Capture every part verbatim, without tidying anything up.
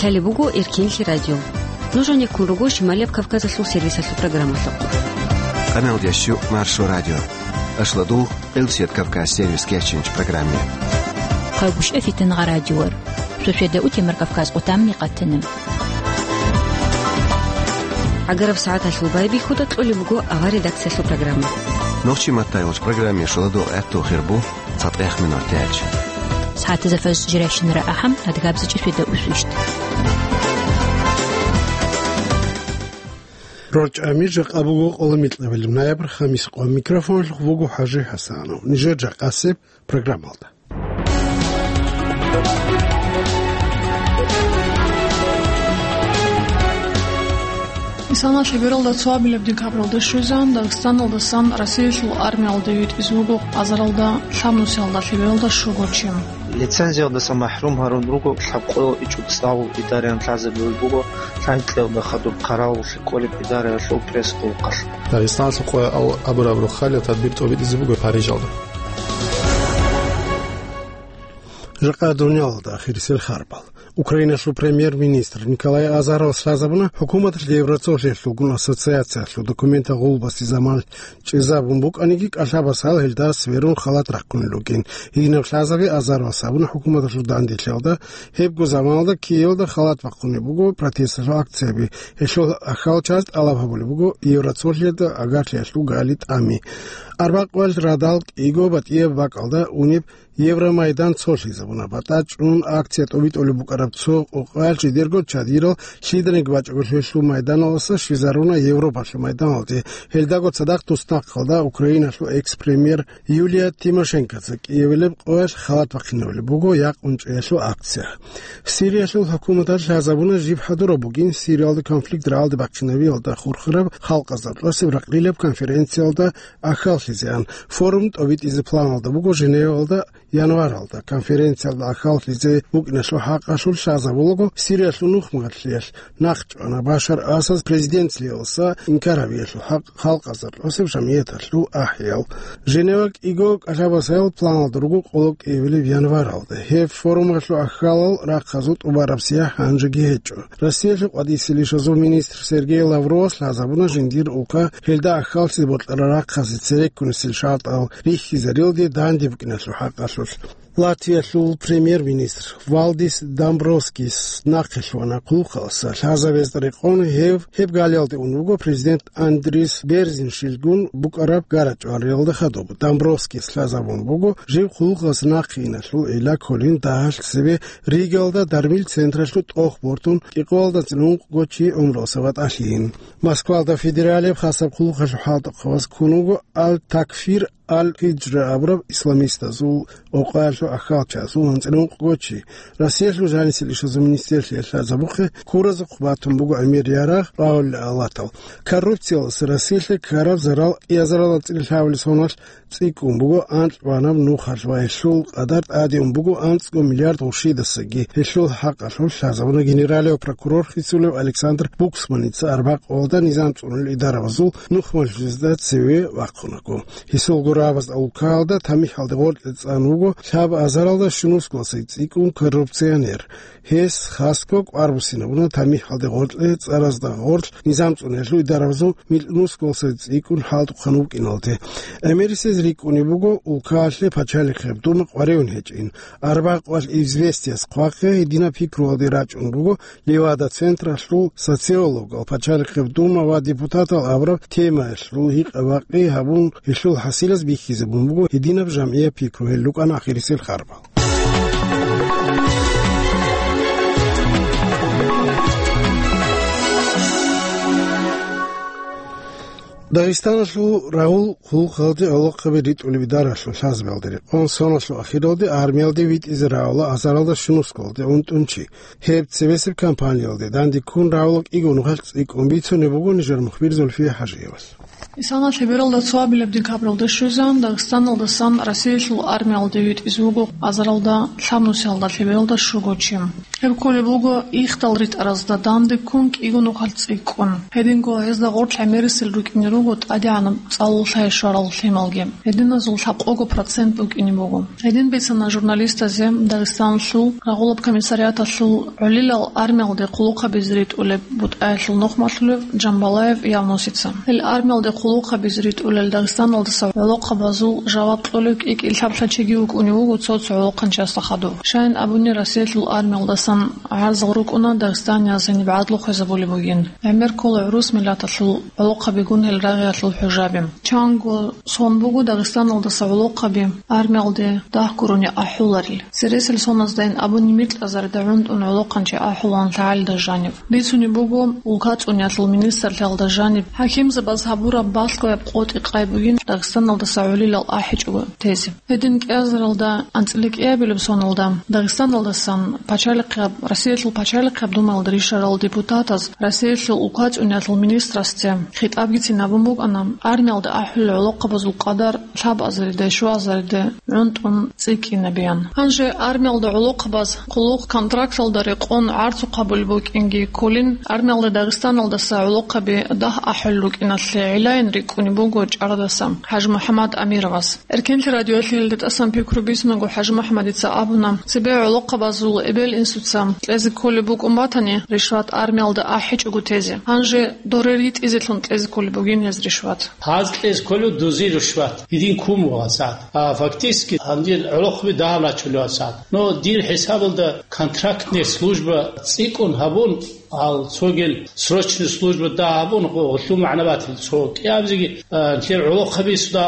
Лъалеб буго Эркинлъи радио. Нуж гьанеккун руго Шималияб Кавказалъул сервисалъул программалъухъ. Къаналдящу Маршо радио. Ашладул Къилсият Кавказ сервис кечинч программе. Хъагушев Фитнагъа радиор. Шошеда утемар Кавказ къутамни къатана. ГӀагараб сагӀаталъул байбихьуда кьолеб буго авар редакциялъул программа. Нохчи маттайолч программе шоладул гӀатту хирбу. ЦатӀех минут тяч. СагӀатазда фаз жирайщинара ахӀам, адгабзичӀи шведа усвищт. РорчӀами жакъа буго къола микьабилеб ноябрь, хамис къо. Микрофонлъухъ вуго ХӀажи ХӀасанов. Нижер жакъасеб программалда. Исана лъебералда цоабилеб декабралда щвезан, Дагъистаналдасан Россиялъул армиялде витӀизе вуго азаралда лъабнусиялда лъебералда щуго чи. Лицензиялдаса махӀрум гьарун руго лъабкъоялда ичӀго цӀалул идараялъ лъазабулеб буго лъанкьиялда хадуб хъаравуллъи кӀолеб идараялъул пресс-къуллукъалъ. Дагъистаналъул къоялъ абураб рохалил тадбир тӀобитӀизе буго Парижалда. Жакъа дуниялалда ахирисел харбал. Украиналъул премьер-министр Николай Азаров лъазабуна хӀукуматалъ Евроцолъиялъулгун ассоциациялъул документал гъулбасе заман чӀезабун букӀаниги, кӀалъабас гьал гьелда сверун халат рахъунел ругин. Гьединаб лъазаби Азаровас гьабуна хӀукуматалъул данделъиялда, гьебго заманалда Киевалда халат бахъунеб буго протесталъул акцияби. Гьелъул ахьалчаз тӀалаб гьабулеб буго Евроцолъиялда агарлъиялъул гали тӀами. Арбакъвал радал кӀиго батӀияб бакӀалда унеб Евромайдан цолъизабуна. БатӀа чӀун акция тӀобитӀулеб букӀараб цо къокъаялъ жидерго чадирал лъиданиги бачӀого лъелъул майданалдаса щвезаруна Европалъул майданалде. Гьелдаго цадахъ туснахъалда Украиналъул экс-премьер Юлия Тимошенкоца Киевалеб къоялъ халат бахъинабулеб буго якъун чӀеялъул акция. Сириялъул хӀукуматалъ лъазабуна жиб хӀадураб бугин Сириялда конфликт рагӀалде бахъинабиялда хурхараб халкъазда кьосеб ракълилаб конференциялда ахьаллъизеан. Форум тӀобитӀизе планалда буго Женевалда январалда. Конференциялда ахьаллъизе букӀиналъул хӀакъалъулъ лъазабулаго Сириялъул нухмалъиялъ нахъчӀвана Башар Асад президентлъиялдаса инкар гьабиялъул хӀакъ халкъазда кьосеб жамгӀияталъул ахӀиял. Женева кӀиго кӀалъабасаял планалда руго къоло кӀиабилеб январалда. Гьеб форумалъул ахьалал рахъазул тӀубараб сияхӀ гьанжеги гьечӀо. Россиялъул къватӀисел ишазул министр Сергей Лавровас лъазабуна жиндир улка гьелда ахьаллъизе бокьарал рахъазе цереккунесел шартӀал рихьизарилде данде букӀиналъул хӀакъалъулъ. Латвиялъул премьер-министр Валдис Дамбровскис нахъе лъугьана хъулухъалдаса лъазабезда рекъон. Гьев гьеб галиялде ун вуго президент Андрис Берзин щилгун букӀараб гарачӀвариялда хадуб. Дамбровскис лъазабун буго жив хъулухъалдаса нахъе иналъул гӀилла кколин дагьалъ цебе Ригалда дармил централъул тӀох бортун кӀикъоялда анцӀила ункъго чи гӀумруялдаса ватӀалъийин. Москвалда федералияб хасаб хъулухъалъул хӀалтӀухъабаз ккун вуго Аль-Такфир Аль-Гьиджра абураб исламистазул къокъаялъул ахьалчазул анцӀила ункъго чи. Россиялъул жанисел ишазул министрлъиялъ лъазабухъе ккуразухъ батун буго гӀемер ярагъ, рагӀулел алатал. Коррупциялдаса Россиялъе ккараб зарал кӀиазарал анцӀила лъабабилеб соналъ цӀикӀкӀун буго анкьабилеб нухалъ ва гьелъул къадар тӀаде ун буго анцӀго миллиард гъурщидасаги. Гьелъул хӀакъалъулъ лъазабуна генералияв прокурор хисулев Александр Буксманица арбакъ Къоялда низам цӀунулел идарабазул нухмалъизда цеве вахъунаго. Гьесул гурабаз улкаялда тамихӀалде гъоркье цӀан вуго лъабазаралда щунусгоялдаса цӀикӀкӀун коррупционер. Гьес хасго кӀвар буссинабуна тамихӀалде гъоркье цӀаразда гъорлъ низам цӀунулел идарабазул микьнусгоялдаса цӀикӀкӀун хӀалтӀухъан вукӀиналде. ГӀемерисез рикӀкӀунеб буго улкаялъе пачалихъеб дума къваригӀун гьечӀин. Арбакъвал Известияс хъвахъе гьединаб пикруялде рачӀун буго Левада централъул социологал, пачалихъеб дума ва депутатал абураб темаялъул гьикъа-бакъи гьабун, гьелъул хӀасилаз бихьизабун буго гьединаб жамгӀияб пикру. Гьел рукӀана ахирисел харбал. Дагъистаналъул рагӀул хъулухъалде гӀолохъаби ритӀулеб идаралъул лъазабиялда рекъон соналъул ахиралде армиялде витӀизе рагӀула азаралда щунусгоялде унтӀун чи. Гьеб цебесеб кампаниялде данде ккун рагӀула кӀиго нухалъ цӀикӀкӀун бицунеб буго нижер мухбир Зульфия ХӀажиевас. Исана лъебералда цоабилеб декабралда щвезан, Дагъистаналдасан Россиялъул армиялде витӀизе вуго азаралда лъабнусиялда лъебералда щуго чи. Гьеб кколеб буго ихдал ритӀаразда данде ккун кӀиго нухалъ цӀикӀкӀун. Гьединго гьезда гъорлъ гӀемерисел рукӀине руго тӀадегӀанаб цӀалул лъай щварал лъималги. Гьединазул лъабкъого процент букӀине буго. Гьедин бицана журналистазе Дагъистаналъул рагъулаб комиссариаталъул гӀолилал армиялде хъулухъабизе ритӀулеб бутӀаялъул нухмалъулев Джамбалаев Явнусица. Гьел армиялде хъулухъабизе ритӀулел Дагъистаналдаса гӀолохъабазул жаваб кьолев кӀи-кӀи лъаб-лъаб чиги вукӀунев вуго цо-цо гӀолохъанчиясда хадув. Щайин абуни, Расиялъул армиялдасан гӀарзал рукӀуна дагъистанияз гьениб гӀадлу хвезабулеб бугин. ГӀемер ккола гӀурус миллаталъул гӀолохъабигун гьел рагъиялъул хӀужаби. Чанго сон буго Дагъистаналдаса гӀолохъаби армиялде дагь гурони ахӀуларел. Цересел соназдайин абуни микьазарда гӀунтӀун гӀолохъанчи ахӀулаан лъагӀалида жанив. Бицунеб буго, улкацӀуниялъул министрлъиялда жаниб хӀакимзабаз гьабураб балъгояб къотӀи-къай бугин Дагъистаналдаса гӀолилал ахӀичӀого тезе. Гьедин кӀиазаралда анцӀила кӀиабилеб соналда Дагъистаналдасан пачалихъияб, Россиялъул пачалихъияб думаялда рищарал депутатаз Россиялъул улкацӀуниялъул министрасде хитӀабгицин абун букӀана, армиялда ахӀулел гӀолохъабазул къадар лъабазариде, щуазариде гӀунтӀун цӀикӀкӀинабеян. Гьанже армиялда гӀолохъабаз хъулухъ контракталда рекъон гӀарцухъ гьабулеб букӀинги кколин, армиялда Дагъистаналдаса гӀолохъаби дагь ахӀулел рукӀиналъе гӀилаин рикӀкӀунеб буго чӀарадаса ХӀажимухӀаммад Амировас. Эркенлъи радиоялъе гьелда тӀасан пикру бицунаго, ХӀажимухӀаммадица абуна, цебе гӀолохъабазул эбел-инсуца кьезе кколеб букӀун батани, ришват армиялда ахӀичӀого тезе. Гьанже дорер йитӀизелъун кьезе кколеб бугин гьез ришват. Гьаз кьезе кколев дузи рушват, гьедин ккун буго сагӀат. А фактически гьанже гӀолохъаби дагь рачулев сагӀат. Но дир хӀисабалда контрактная служба цӀикӀкӀун гьабун, гьал цогел срочная служба дагь гьабун, гъо-, гъолъул магӀна батил цо кӀиабизеги, а, нилъер гӀолохъаби суда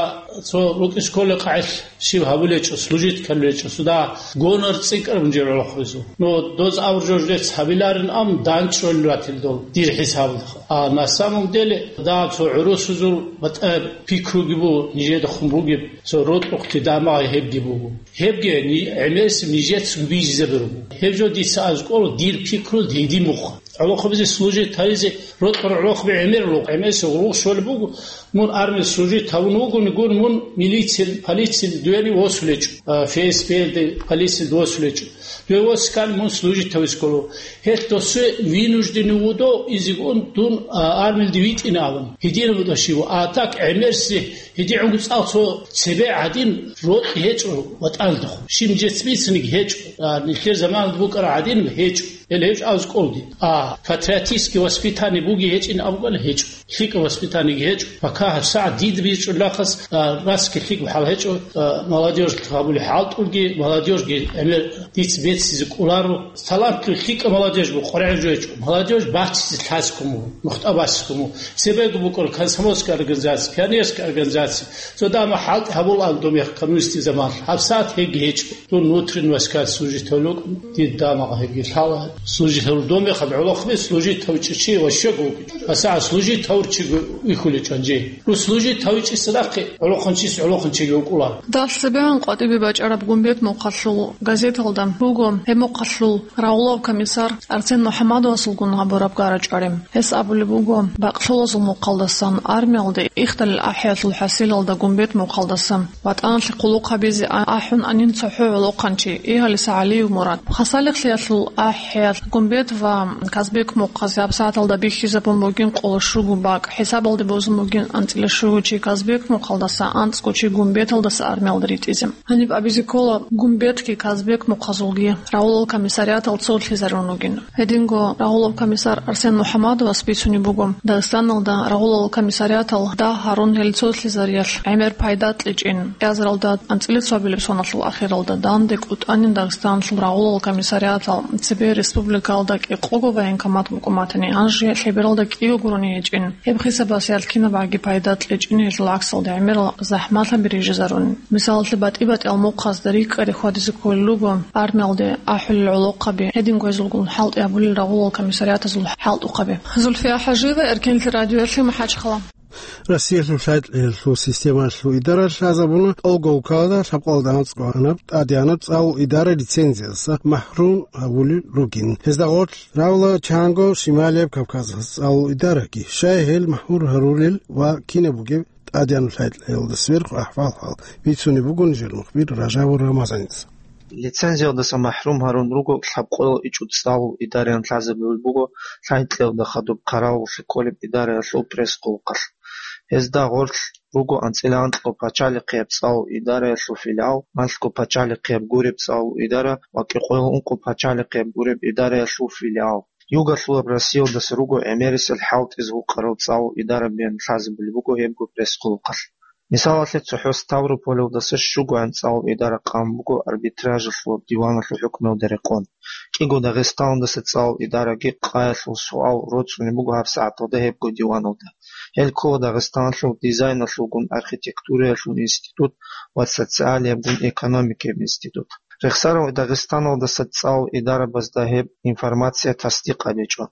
цо рукӀине кколеб къагӀил щиб гьабулечӀо, служить кколечӀо, суда гонор цӀикӀкӀараб жо гӀолохъабазул. Но доз авр жо жидец гьабиларин ам данчӀолел ратил дол, дир хӀисабалда. А на самом деле, да, цо гӀурусазул батӀа пикруги бу нижеда хун бугеб, цо рокьухъе дамагъи гьебги буго. Гьебги ни-, гӀемерисеб нижецаго бижизабируго. Гьеб жо дица аз кӀола дир пикру диди мухъ. ГӀолохъабизе служить гьаризе рокьор гӀолохъаби гӀемер лугъ, гӀемерисеб гъулгъ щолеб буго, мун армиялъ служить гьавун вугони гун, мун милициял, полициял дуяни восулечӀо, а, ФСБ-де, полициял восулечӀо. Дуе восиккан мун служить гьавизе кколо. Гьелъ досуе вынужденный вуго изегун дун, а, армиялде витӀине абун. Гьединаб буго щив, а так гӀемерси гьедигӀунго цӀал цо цебе гӀадин рокьи гьечӀо ватӀалда хъу. Щиб нижеца бицаниги гьечӀо, а, нилъер заманалда букӀараб гӀадин гьечӀо. Гьел гьечӀо аз кӀолди. А патриотический воспитание буги гьечӀин абугал гьечӀо. ЛъикӀаб воспитаниеги гьечӀо. Пока гьабсагӀат дида бичӀчӀулахъас, а, расги лъикӀаб хӀал гьечӀо, а, молодёжь гьабулеб хӀалтӀулги, молодёжьги гӀемер дица беццизе кӀоларо. Талантлъи лъикӀаб молодёжь бу къваригӀел жо гьечӀо. Молодёжь баццизе лъазе ккун буго, нухда базе ккун буго. Цебего букӀуна комсомольская организация, пионерская организация. Цо дама хӀалтӀи гьабулаан доб мех коммунистий заманалъ. ГьабсагӀат гьебги гьечӀо. Дун внутренний войска служить гьавулев вукӀун, дир дамагъ гьебги лъала. Служить гьавулев доб мехалъ гӀолохъаби служить гьавичӀев чи ващего вукӀин. ГьасагӀат служить гьавурчиго вихьулечӀо гьанже. Ру служить гьавичӀесадахъе гӀолохъанчияс гӀолохъанчиги вукӀула. Дагь цебегӀан къватӀибе бачӀараб Гумбет мухъалъул газеталда буго гьеб мухъалъул рагъулав комиссар Арсен МухӀаммадовасулгун гьабураб гара-чӀвари. Гьес абулеб буго, бакълъулазул мухъалдасан армиялде ихдалил ахӀиялъул хӀасилалда Гумбет мухъалдасан ВатӀаналъе хъулухъ гьабизе а-, ахӀун анин цохӀо гӀолохъанчи Игьалиса ГӀалиев Мурад. Хасалихълъиялъул ахӀиялъ Гумбет ва Казбек мухъазе гьабсагӀаталда бихьизабун бугин къоло щуго бакӀ, хӀисабалде бозун бугин анцӀила щуго чи Казбек мухъалдаса, анцӀго чи Гумбеталдаса армиялда ритӀизе. Гьаниб абизе ккола, Гумбетги Казбек мухъазулги рагъулал комиссариатал цолъизарун ругин. Гьединго рагъулав комиссар Арсен МухӀаммадовас бицунеб буго, Дагъистаналда рагъулал комиссариатал дагь гьарун гьел цолъизариялъ гӀемер пайда кьечӀин, кӀиазаралда анцӀила цоабилеб соналъул ахиралда данде кӀутӀанин Дагъистаналъул рагъулал комиссариатал цебе республикалда кӀикъого военкомат букӀун батани, гьанже лъебералда кӀиго гурони гьечӀин. Гьеб хисабалъ кинабгӀаги пайда кьечӀин гьелъул гӀаксалда гӀемерал захӀмалъаби рижизарун. Мисалалъе, батӀи-батӀиял мухъазда рикӀкӀаде хьвадизе кколел руго армиялде ахӀулел гӀолохъаби, гьединго гьезулгун хӀалтӀи гьабулел рагъулал комиссариатазул хӀалтӀухъаби. Зульфия ХӀажиева, Эркенлъи радиоялъе, МахӀачхъала. Россиялъул лъай-лъиялъул системалъул идаралъ лъазабуна тӀолго улкалда лъабкъоялда анцӀго гьанаб тӀадегӀанаб цӀалул идара лицензиясда махӀрум гьавулел ругин. Гьезда гъорлъ равла чанго Шималияб Кавказалъ цӀалул идараги, щай гьел махӀрум гьарулел ва кинаб бугеб тӀадегӀанаб лъай-лъиялда сверху ахӀвал-хӀал бицунеб буго нижер мухбир Ражабов Рамазаница. Лицензиялдаса махӀрум гьарун руго лъабкъоялда ичӀго цӀалул идараялъул лъазабулеб буго лъай кьеялда хадуб хъаравуллъи кколеб идараялъул пресс-къулухъалъ. Гьезда гъорлъ руго анцӀила анкьго пачалихъияб цӀалул идараялъул филиал, малъго пачалихъияб гуреб цӀалул идара ва кӀикъоялда ункъо пачалихъияб гуреб идараялъул филиал. Югалъулаб Россиялдаса руго гӀемерисел хӀалтӀизе гьукъарал цӀалул идарабиялъул лъазабулеб буго гьебго пресс-къулухъалъ. Мисалалъе, цохӀо Ставрополалдаса щугоян цӀалул идара къан буго арбитражалъул диваналъул хӀукмуялда рекъон. КӀиго Дагъистаналдаса цӀалул идараги къаялъул суал роцӀцӀунеб буго гьабсагӀаталда гьебго диваналда. Гьел ккола Дагъистаналъул дизайналъулгун архитектураялъул институт ва социалиябгун экономикаяб институт. Рехсарав Дагъистаналдаса цӀалул идарабазда гьеб информация тасдикъ гьабичӀо.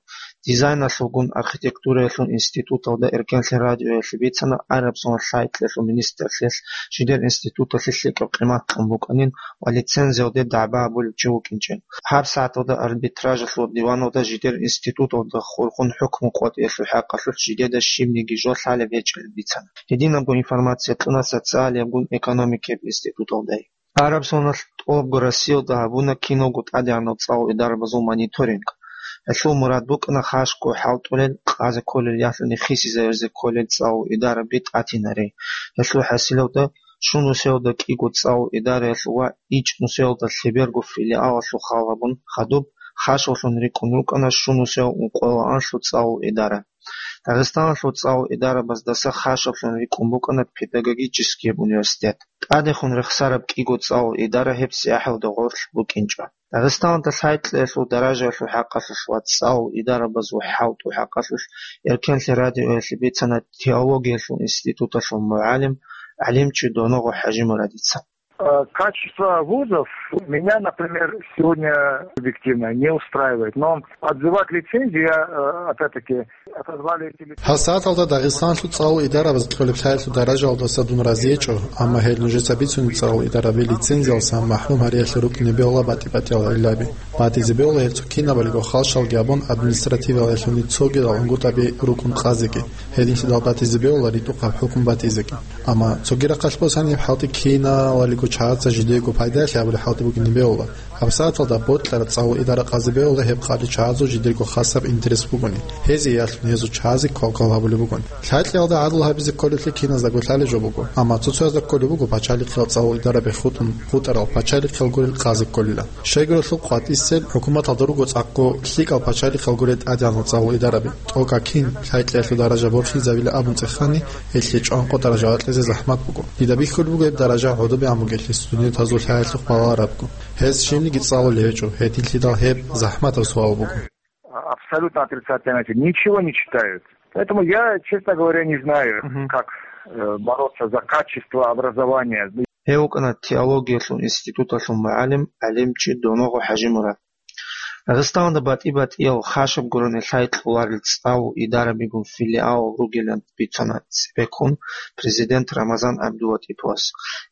Дизайналъулгун архитектураялъул институталда Эркенлъи радиоялъе бицана, араб соналъ лъай кьеялъул министрлъиялъ жидер институталъе лъикӀаб къимат кьун букӀанин ва лицензиялде дагӀба гьабулев чи вукӀинчӀин. ГьабсагӀаталда арбитражалъул диваналда жидер институталда хурхун хӀукму къотӀиялъул хӀакъалъулъ жидеда щибниги жо лъалеб гьечӀеб бицана. Гьединабго информация кьуна социалиябгун экономикаяб институталдай. Араб соналъ тӀолабго Россиялда гьабуна киналго тӀадегӀанал цӀалул идарабазул мониторинг. Гьелъул мурад букӀана хашго хӀалтӀулел, къазе кколел ялъуни хисизаризе кколел цӀалул идараби тӀатинари. Гьелъул хӀасилалда, щунусиялда кӀиго цӀалул идараялъул ва ичӀнусиялда лъеберго филиалалъул хал гьабун, хадуб хашалъун рикӀкӀун рукӀана щунусиял ункъоялда анлъго цӀалул идара. Дагъистаналъул цӀалул идарабаздаса хашалъун рикӀкӀун букӀана педагогическияб университет. ТӀадехун рехсараб кӀиго цӀалул идара гьеб сягӀихӀалда гъорлъ букӀинчӀо. Дагъистаналда лъай кьеялъул даражаялъул хӀакъалъулъ ва цӀалул идарабазул хӀалтӀул хӀакъалъулъ Эркенлъи радиоялъе бицана теологиялъул институталъул мугӀалим, гӀалимчи Доногъо ХӀажимурадица. Э, качество вузов меня, например, сегодня объективно не устраивает. Но отзывать лицензию я, э, опять-таки, отозвали эти лицензии. ГьабсагӀаталда Дагъистаналъул цӀалул идарабаз кьолеб лъаялъул даражаялдаса дун разиечӀо, амма гьел нужеца бицунеб цӀалул идараби лицензиялдаса махӀрум гьариялъе рукӀине бегьула батӀи-батӀиял гӀиллаби. БатӀизе бегьула гьел цо кинабалиго халщалги абун административалалъуни цогидал гӀунгутӀаби рукӀун къазеги. Гьединлъидал батӀизе бегьула ритӀухъаб хӀукму батӀизеги. Амма цоги рахъалъ босани, хӀалтӀи киналалиго чагӀаца жидеего пайдаялъе гьабулеб хӀалтӀи бугине бегьула. ГьабсагӀаталда бокьараб цӀалул идара къазе бегьула гьеб къаде чагӀазул жидерго хасаб интерес бугони. Гьезие ялъун гьезул чагӀазе квалквал гьабулеб бугони. Лъайкьиялда гӀадлу гьабизе кколеблъи киназдаго лъалеб жо буго, амма цо-цоязда кколеб буго пачалихъиял цӀалул идараби хутӀун хутӀарал пачалихъиял гурел къазе кколила. Щайгурелъул къватӀисел хӀукуматалда руго цӀакъго лъикӀал пачалихъал гурел тӀадегӀанал цӀалул идараби. ТӀокӀаб кин лъайкьиялъул даража борхизабила абун цӀехани, гьелъие чӀванкъо даража бакьизе захӀмат буго. Дида бихьулеб буго гьеб даража гӀодобегӀан бугелъул студентазул лъаялъухъ балагьарабго. Гьез щибниги цӀалулев гьечӀо, гьединлъидал гьеб захӀматаб суал буго. Абсолютно отрицательно, ничего не читают. Поэтому я, честно говоря, не знаю, Мгм. как, э, бороться за качество образования. Гьев вукӀана теологиялъул институталъул мугӀалим, гӀалимчи Доногъо ХӀажимурад. Дагъистаналда батӀи-батӀиял хашаб гурони лъай кьоларел цӀалул идарабигун филиал ругилан бицана цебеккун президент Рамазан ГӀабдулатиповас.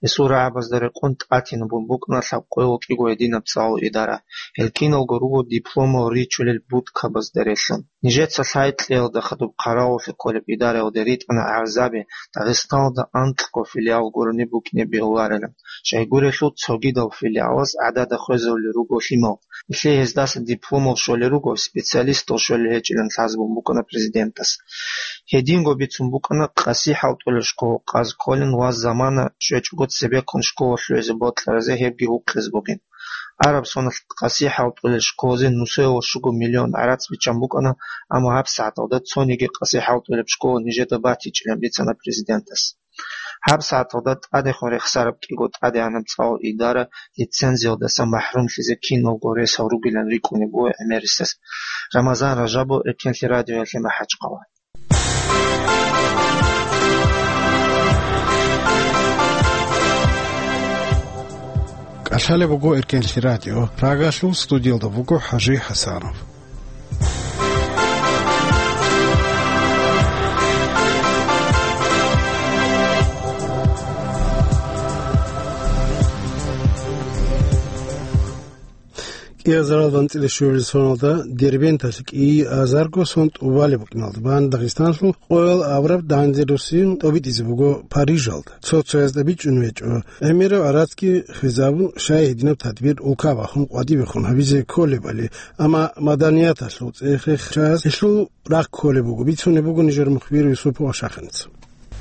Гьесул рагӀабазда рекъон тӀатинабун букӀана лъабкъоялда кӀиго гьединаб цӀалул идара. Гьел киналго руго дипломал ричулел будкабазда релълъун. Нижеца лъай кьеялда хадуб хъаравуллъи кколеб идараялде ритӀана гӀарзаби Дагъистаналда анкьго филиал гурони букӀине бегьуларилан. Щайгурелъул цогидал филиалаз гӀадада хвезарулел руго лъимал. Нилъее гьездаса дипломал щолел руго, специалистал щолел гьечӀилан лъазабун букӀана президентас. Гьединго бицун букӀана къаси хӀалтӀулел школа къазе кколин ва замана щвечӀого цебеккун школа лъугӀизе бокьаразе гьебги гьукъизе бугин. Араб соналъ къаси хӀалтӀулел школазе нусоялда щуго миллион гӀарац биччан букӀана, амма гьабсагӀаталда цониги къаси хӀалтӀулеб школа нижеда батичӀилан бицана президентас. ГьабсагӀаталда тӀадехун рехсараб кӀиго тӀадегӀанаб цӀалул идара лицензиялдаса махӀрумлъизе киналго ресал ругилан рикӀкӀунеб буго гӀемерисез. Рамазан Ражабов, Эркенлъи радиоялъе, МахӀачхъала. КӀалъалеб буго Эркенлъи радио. Прагалъул студиялда буго ХӀажи ХӀасанов. Кьиазаралда анцӀила щуабилеб соналда Дербенталъ кӀиазарго сон тӀубалеб букӀиналда бан Дагъистаналъул къоял абураб данде руссин тӀобитӀизе буго Парижалда. Цо-цоязда бичӀчӀун гьечӀо гӀемераб гӀарацги хвезабун, щай гьединаб тадбир улка бахун къватӀибехун гьабизе кколебали, амма маданияталъул цӀехе чияс гьелъул рахъ кколеб буго, бицунеб буго нижер мухбир Юсупов Ашахиница.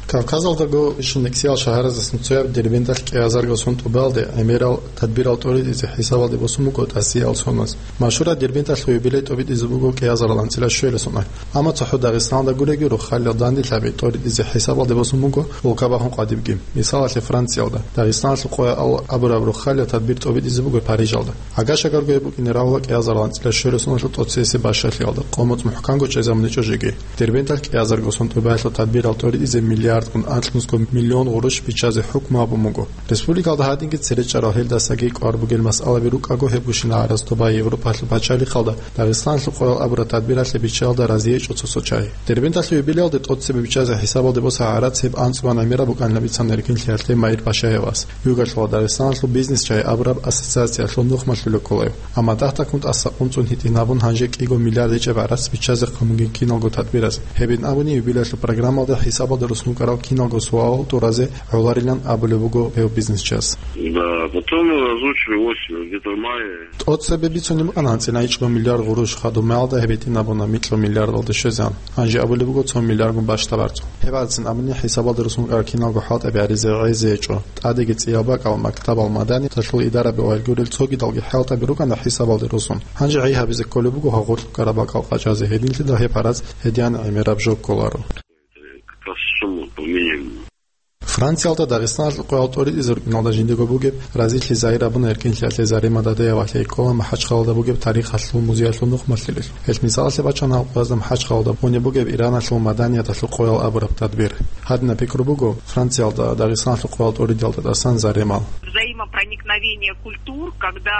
Кавказалдаго ишин нексиял шагьаразасан цояб Дербенталъ кӀиазарго сон тӀубалде гӀемерал тадбирал тӀоритӀизе хӀисабалде босун буго тӀасиял соназ. Машгьураб Дербенталъул юбилей тӀобитӀизе буго кӀиазарал анцӀила щуялъ сона. Амма цохӀо Дагъистаналда гуреги руххалил данделъаби тӀоритӀизе хӀисабалде босун буго улка бахун къватӀибги. Мисалалъе, Франциялда, Дагъистаналъул къоял абураб руххалил тадбир тӀобитӀизе буго Парижалда. Агашагарго гьеб букӀине равла кӀиазарал анцӀила щуялъ соналъул тӀоцебесеб бащалъиялда, къо-моцӀ мухӀканго чӀезабуничӀо жеги. Дербенталъ кӀиазарго сон тӀубаялъул тадбирал тӀоритӀизе миллиардгун анлънусго миллион гъурущ биччазе хӀукму гьабун буго. Республикалда гьадинги цере чӀарал, гьелдасаги кӀвар бугел масъалаби рукӀаго, гьеб гущинал гӀарац доба Европалъул пачалихъалда Дагъистаналъул къоял абураб тадбиралъе биччаялда разиечӀо цо-цо чагӀи. Дербенталъул юбилеялде тӀоцебе биччазе хӀисабалде боса гӀарац гьеб анцӀбан гӀемераб букӀанилан бицана Эркинлъиялъе Маир Пашаевас. Югалъула Дагъистаналъул бизнес-чагӀи абураб ассоциациялъул нухмалъулев кколев. Амма дагь-дагьккун тӀасакъунцӀун гьитӀинабун гьанже кӀиго миллиард гьечӀеб гӀарац биччазе хъамунгин киналго тадбиразе. Гьебин абуни, юбилеялъул программалда хӀисабалда руссун рукӀарал киналго суал тӀуразе гӀоларилан абулеб буго гьев бизнесчас. Да, потом озвучили осенью, где-то в мае. ТӀоцебе бицунеб букӀана анцӀила ичӀго миллиард гъурущ, хадуб мехалда гьеб гьитӀинабуна микьго миллиардалде щвезегӀан. Гьанже абулеб буго цо миллиаргун бащдаб гӀарцу. Гьеб гӀарцин абуни хӀисабалда руссун рукӀарал киналго хӀалтӀаби гьаризе гӀезечӀо. ТӀадеги цӀиял бакӀал мактабал маданияталъул идараби ва гьел гурел цогидалги хӀалтӀаби рукӀана хӀисабалде руссун. Гьанже гӀей гьабизе кколеб буго гьагъурлъ рукӀараб бакӀал къачӀазе, гьединлъидал гьеб гӀарац гьедин гӀемераб жо кколаро. Как раз сумма по минимуму. Франциялда Дагъистаналъул къоял тӀоритӀизе рукӀиналда жиндего бугеб разилъи загьир гьабуна Эркинлъиялъе Зарема Дадеевалъе, ккола МахӀачхъалалда бугеб тарихалъул музеялъул нухмалъулелъул. Гьелъ мисалалъе бачана гьаб къоязда МахӀачхъалалда бугеб Ираналъул маданияталъул къоял абураб тадбир. Гьадинаб пикру буго Франциялда Дагъистаналъул къоял тӀоритӀиялда тӀасан Заремал. Взаимопроникновение культур, когда,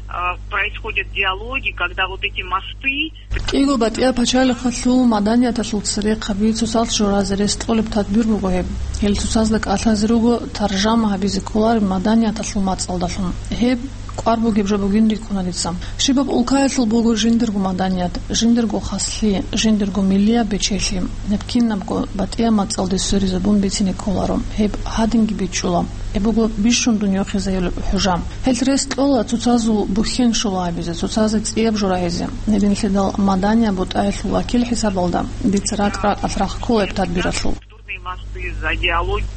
э, происходят диалоги, когда вот эти мосты. КӀиго батӀияб пачалихъалъул маданияталъул церехъаби цоцазда журазе рес кьолеб тадбир буго гьеб. Гьел цоцазда кӀалъазе руго таржама гьабизе кколареб маданияталъул мацӀалдалъун. Гьеб кӀвар бугеб жо бугин рикӀкӀуна дица. Щибаб улкаялъул буго жиндирго маданият, жиндирго хаслъи, жиндирго миллияб бечелъи. Гьеб кинабго батӀияб мацӀалде сверизабун бицине кколаро. Гьеб гьадинги бичӀчӀула. Гьеб буго бищун дунъя хвезайолеб хӀужа. Гьелъ рес кьола цоцазул бухьен щола гьабизе, цоцазе цӀияб жо рагьизе. Гьединлъидал маданияб бутӀаялъул вакил хӀисабалда дица ракӀ-ракӀалъ рахъ ккола гьеб тадбиралъул.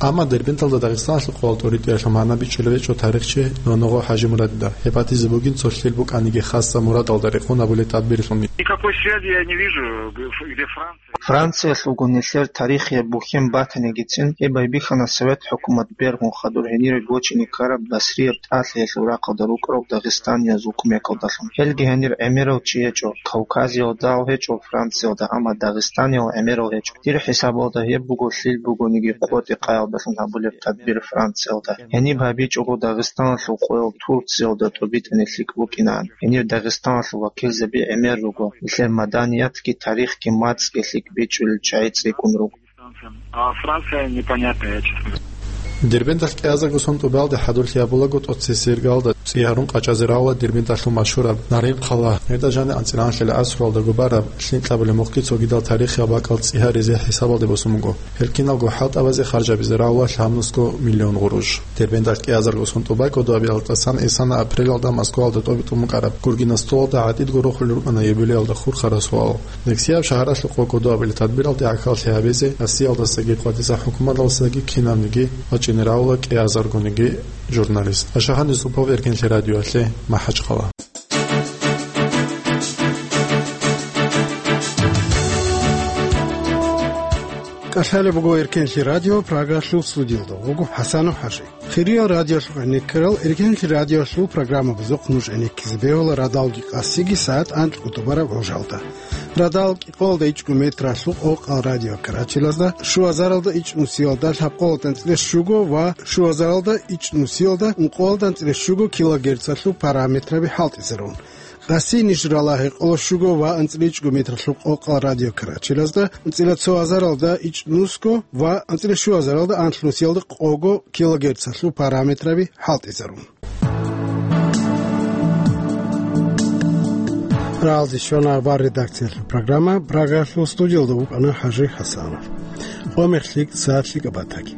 Амма Дербенталда Дагъистаналъул къоял тӀоритӀиялъул магӀна бичӀчӀулеб гьечӀо тарихчи Ноногъо ХӀажимурадида. Гьеб батизе бугин цо лъил букӀаниги хасаб мурадалда рекъон гьабулеб тадбиралъун. Никакой связи я не вижу, где Франция. Франциялъулго нилъер тарихияб бухьен батанигицин, гьеб байбихьана совет хӀукумат бергун хадур гьенире гочине ккараб Басрияб тӀалъиялъул рахъалда рукӀарал дагъистаниязул кумекалдалъун. Гьелги гьенир гӀемерав чи гьечӀо, Кавказиялдал гьечӀо Франциялда, амма Дагъистаниял гӀемерал гьечӀо. Дир хӀисабалда гьеб буго лъил бугониги къотӀи-къаялдалъун гьабулеб тадбир Франциялда. Гьениб гьабичӀого Дагъистаналъул къоял Турциялда тӀубитӀани лъикӀ букӀинаан. Гьенир Дагъистаналъул вакилзаби гӀемер руго, нилъер маданиятги тарихги мацӀги лъикӀ бичӀчӀулел чагӀи цӀикӀкӀун руго. А Франция непонятная, я честно говоря. Дербенталъ кӀиазарго сон тӀубалде хӀадурлъи гьабулаго тӀоцесеб иргалда цӀи гьарун къачӀазе равла Дербенталъул машгьураб Нарин хъала. Гьелда жаниб анцӀила лъабабилеб асралда губараб лъим кьабулеб мухъги цогидал тарихияб бакӀал цӀи гьаризе хӀисабалде босун буго. Гьел киналго хӀалтӀабазе харжабизе равла лъабнусго миллион гъурущ. Дербенталъ кӀиазарго сон тӀубай кодобиялда тӀасан исана апрелалда Москваялда тӀобитӀун букӀараб Гургина столалда гӀатӀидго рохулел рукӀана юбилеялда хурхарал суал. Нексияб шагьаралъухъ ва кодобилеб тадбиралде гӀахьаллъи гьабизе Россиялдасаги къватӀиса хӀукуматалдасаги кинабниги вачӀине равла кӀиазаргониги журналист. Ашахъан Юсупов, Эркенлъи радиоялъе, МахӀачхъала. КӀалъалеб буго Эркенлъи радио, Прагалъул студиялда вуго ХӀасанов ХӀажи. Хириял радиолъухъ гӀенеккарал, Эркенлъи радиолъул программабазухъ нуж гӀенеккизе бегьула радалги къасиги сагӀат анкьго тӀубараб гӀужалда. Радал кӀикъоялда ичӀго метралъул къокъал радиокарачелазда, щуазаралда ичӀнусиялда лъабкъоялда анцӀила щуго ва щуазаралда ичӀнусиялда ункъоялда анцӀила щуго килогерцалъул параметраби хӀалтӀизарун. Къаси ниж рала гьекъоло щуго ва анцӀила ичӀго метралъул къокъал радиокарачелазда, анцӀила цо азаралда ичӀнусго ва анцӀила щуазаралда анлънусиялда къого килогерцалъул параметраби хӀалтӀизарун. Рагьалде щвана авар редакциялъул программа, Прагаялъул студиялда вукӀана ХӀажи ХӀасанов. Къо мехлъи, сагӀатлъи кӀабатаги.